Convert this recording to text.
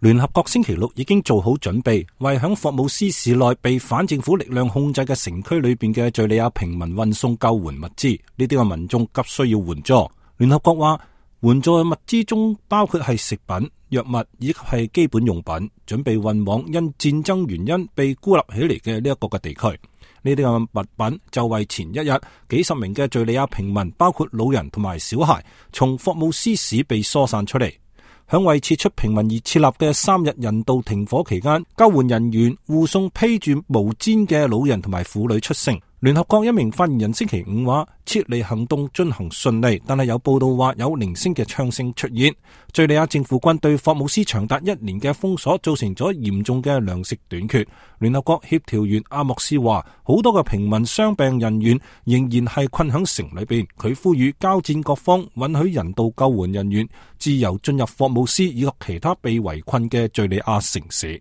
聯合國星期六已經做好準備，為響霍姆斯市內被反政府力量控制嘅城區裏邊嘅敘利亞平民運送救援物資。呢啲嘅民眾急需要援助。聯合國話，援助物資中包括係食品、藥物以及係基本用品，準備運往因戰爭原因被孤立起嚟嘅呢一個嘅地區。呢啲嘅物品就為前一日幾十名嘅敘利亞平民，包括老人同埋小孩，從霍姆斯市被疏散出嚟。響為撤出平民而設立嘅3日人道停火期間，救援人員護送披住毛氈嘅老人同埋婦女出城。聯合國一名發言人星期五話，撤離行動進行順利，但係有報道話有零星嘅槍聲出現。敘利亞政府軍對霍姆斯長達1年嘅封鎖造成咗嚴重嘅糧食短缺。聯合國協調員阿莫斯話，好多嘅平民傷病人員仍然係困響城裏邊。佢呼籲交戰各方允許人道救援人員自由進入霍姆斯以及其他被圍困嘅敘利亞城市。